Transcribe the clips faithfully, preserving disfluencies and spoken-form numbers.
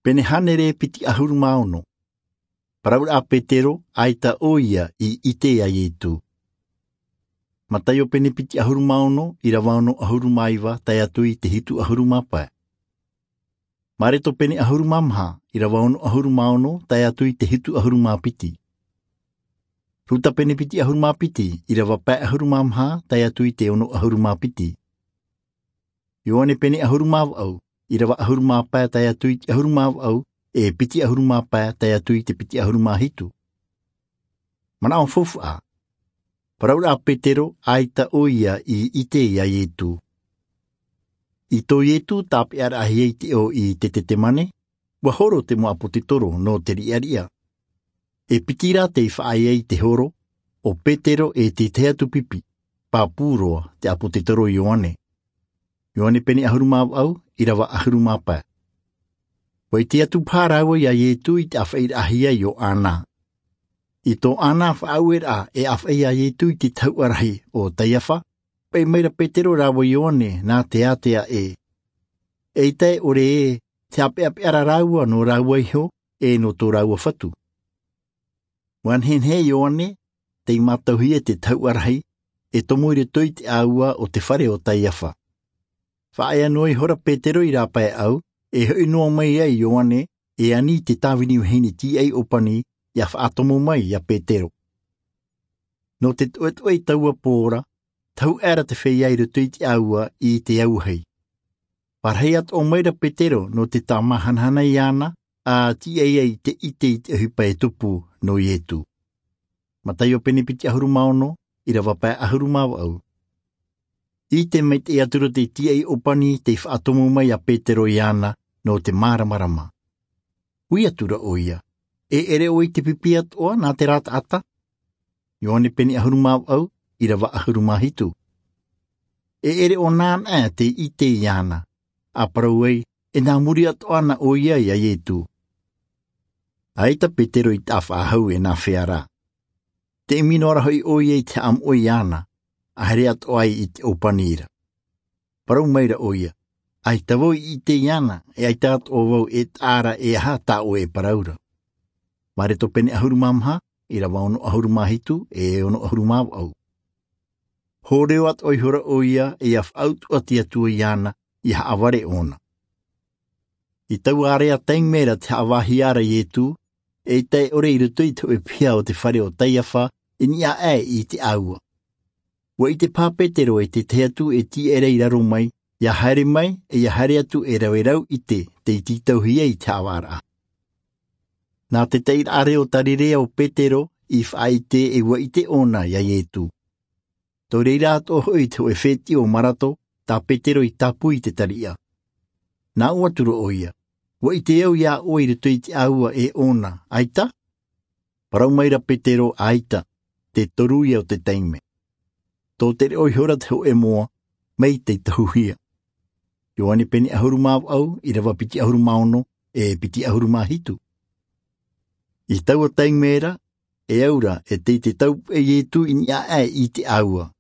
Pene hānere piti ʻahuru mā ono. Parau ra petero, ʻaita ʻoia i ʻite iā ietū. Mataio pene piti ʻahuru mā ono, ʻirava ono ʻahuru mā iva tae atu i te hitu ʻahuru mā pae. Mareto pene ʻahuru mā maha, ʻirava ono ʻahuru mā ono tae atu i te hitu ʻahuru mā piti. Ruta pene piti ʻahuru mā piti, ʻirava pae ʻahuru mā maha tae atu i te ono ʻahuru mā piti. Ioane pene ʻahuru mā vaʻu, ʻirava ʻahuru mā pae tae atu i te ʻahuru mā vaʻu, e piti ʻahuru mā pae tae atu i te piti ʻahuru mā hitu. Manaʻo faufaʻa. Parau ra petero, ʻaita ʻoia i ʻite iā ietū. I tō ietū tāpeʻaraʻahia i te ʻō i te tetemane, ua horo te mau ʻāpōsetolo nō te riʻariʻa. E piti rā tei faʻaea i te horo, ʻo petero e te tahi atu pipi, pāpū roa te ʻāpōsetolo ioane. Ioane pene ʻahuru mā vaʻu, ʻirava ʻahuru mā pae. Ua ʻite atu paha rāua iā ietū i te ʻāfaʻiraʻahia iō ana. I tō ana faʻaueraʻa e ʻāfaʻi iā ietū i te tahuʻa rahi ʻo kaiafa, paʻi mai ra petero rāua ioane nā te ātea ē, eʻita e ʻore ē te haʻapeʻapeʻa ra rāua nō rāua iho, e nō tō rāua fatu. Ua nehenehe ioane tei mātauhia i te tahuʻa rahi, e tomo i roto i te ʻāua o te fare o kaiafa. Faʻaea noa ihora petero i rāpaeʻau, e hoʻi noa mai ai ioane, e ani i te tāvini vahine tīaʻi ʻōpani, ia faʻatomo mai iā petero. Nō te toʻetoʻe i taua pō ra, tahuʻa ra te feiā i roto i te ʻāua i te auahi. Parahi atoʻa mai ra petero nō te tāmāhanahana iāna, a tīaʻi ai i te ʻite i te ʻohipa e tupu nō ietū. Mataio pene piti ʻahuru mā ono, ʻirava pae ʻahuru mā vaʻu. ʻIte maitaʻi atu ra te tīaʻi ʻōpani tei faʻatomo mai iā petero iāna nō te māramarama. Ui atu ra ʻoia, e ʻere ʻoe i te pipi atoʻa nā terā taʻata? Ioane pene ʻahuru mā vaʻu, ʻirava ʻahuru mā hitu. E ʻere ʻo nāna ʻā te ʻite iāna, a parau ai, e nā muri atoʻa na ʻoia iā ietū. ʻAita petero i taʻa faʻahou e nā fea rā. Te ʻimi noa ra hoʻi ʻoia i te haʻamoʻe iāna, a haere atoʻa ai i te ʻōpani ra. Parau mai ra ʻoia, ʻaita vau i ʻite iāna, e ʻaita atoʻa vau e taʻa ra e aha tā ʻoe e parau ra. Mareto pene ʻahuru mā maha, ʻirava ono ʻahuru mā hitu, e ono ʻahuru mā vaʻu. Hōrero atoʻa ihora ʻoia, ia faʻautuʻa te Atua iāna, ia haʻavare ʻōna. I taua area taime ra te haʻavāhia ra ietū, eʻita e ʻore i roto i te hōʻē piha o te fare o kaiafa, i niʻa aʻe i te ʻāua. Ua ʻite paha petero e te tahi atu e tīaʻi ra i raro mai, ia haere mai, e ia haere atu e rave rau ʻite tei tītauhia i te haʻavāraʻa. Nā te taʻiraʻa reo tarirea o petero i faʻaʻite e ua ʻite ʻōna iā ietū. Tō reira atoʻa hoʻi te hōʻē fētiʻi o marato, tā petero i tāpū i te tariʻa. Nā ʻō atu ra ʻoia, ua ʻite au iā ʻoe i roto i te ʻāua e ʻōna, ʻaita? Parau mai ra petero, ʻaita, te toru ia o te taime. Tō tere ʻoe ihora te hōʻē moa, mai tei tahuhia. Ioane pene ʻahuru mā vaʻu, ʻirava piti ʻahuru mā ono, e piti ʻahuru mā hitu. I taua taime ra, e au ra e tei te taupeʻe ietū i niʻa aʻe i te ʻāua.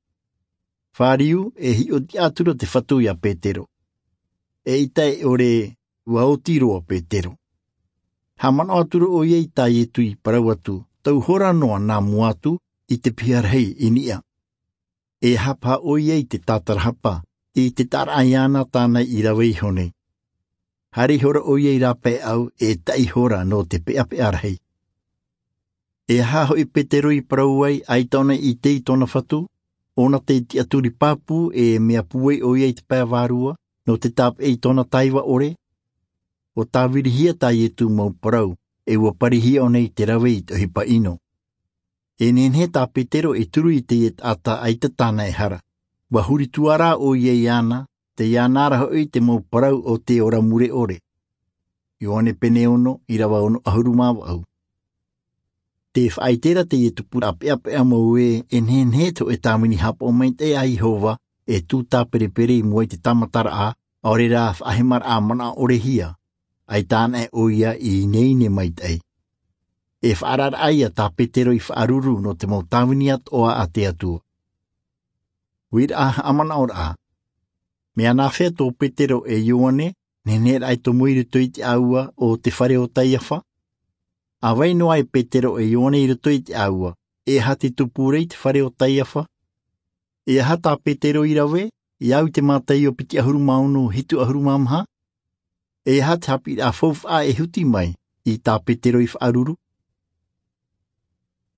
Fāriu, e hiʻotiʻa atu ra te fatu iā petero. Eʻita e ʻore, ua oti roa petero. Haʻamanaʻo atu ra ʻoia i tā ietū i parau atu, tau hora noa nā mua atu i te piha rahi i niʻa. E aha paha ʻoia i te tātarahapa i te taʻaraʻa iāna tāna i rave iho nei? Haere ihora ʻoia i rāpaeʻau, e taʻi hora nō te peʻapeʻa rahi. E aha hoʻi petero i parau ai, ʻaita ʻōna i ʻite i tōna fatu? ʻŌna tei tiʻaturi pāpū, e mea pūai ʻoia i te pae vārua nō te tāpeʻa i tōna taiva ʻore. Ua tāvirihia tā ietū mau parau, e ua parihia ʻōna i te rave i te ʻohipa ʻino. E nehenehe tā petero e turu i teie taʻata ʻaita tāna e hara. Ua huri tuarā ʻoia iāna, tei iāna ra hoʻi te mau parau o te ora mure ʻore. Ioane pene ono, ʻirava ono ʻahuru mā vaʻu. Te faʻaʻite ra teie tupu ra peʻapeʻa mau ē, e nehenehe te hōʻē tāvini haʻapaʻo maitaʻi a iehova e tū tāperepere i mua i te tāmataraʻa, ʻaore rā faʻahemaraʻa manaʻo ʻorehia. ʻAita anaʻe ʻoia i ineine maitaʻi. E faʻaararaʻa ia tā petero i faʻaruru nō te mau tāvini atoʻa a te atua. Uiraʻa haʻamanaʻoraʻa. Mea nāfea tō petero e ioane Nehenehe raʻa e tomo i roto i te ʻāua o te fare o Taiafa. A vai noa e Petero e Ioane i roto i te ʻāua, e aha te tupu ra i te fare o Taiafa? E aha tā Petero i rave, i au i te Mataio piti ʻahuru mā ono, hitu ʻahuru mā maha? E aha te haʻapiʻiraʻa faufaʻa e huti mai i tā Petero i faʻaruru?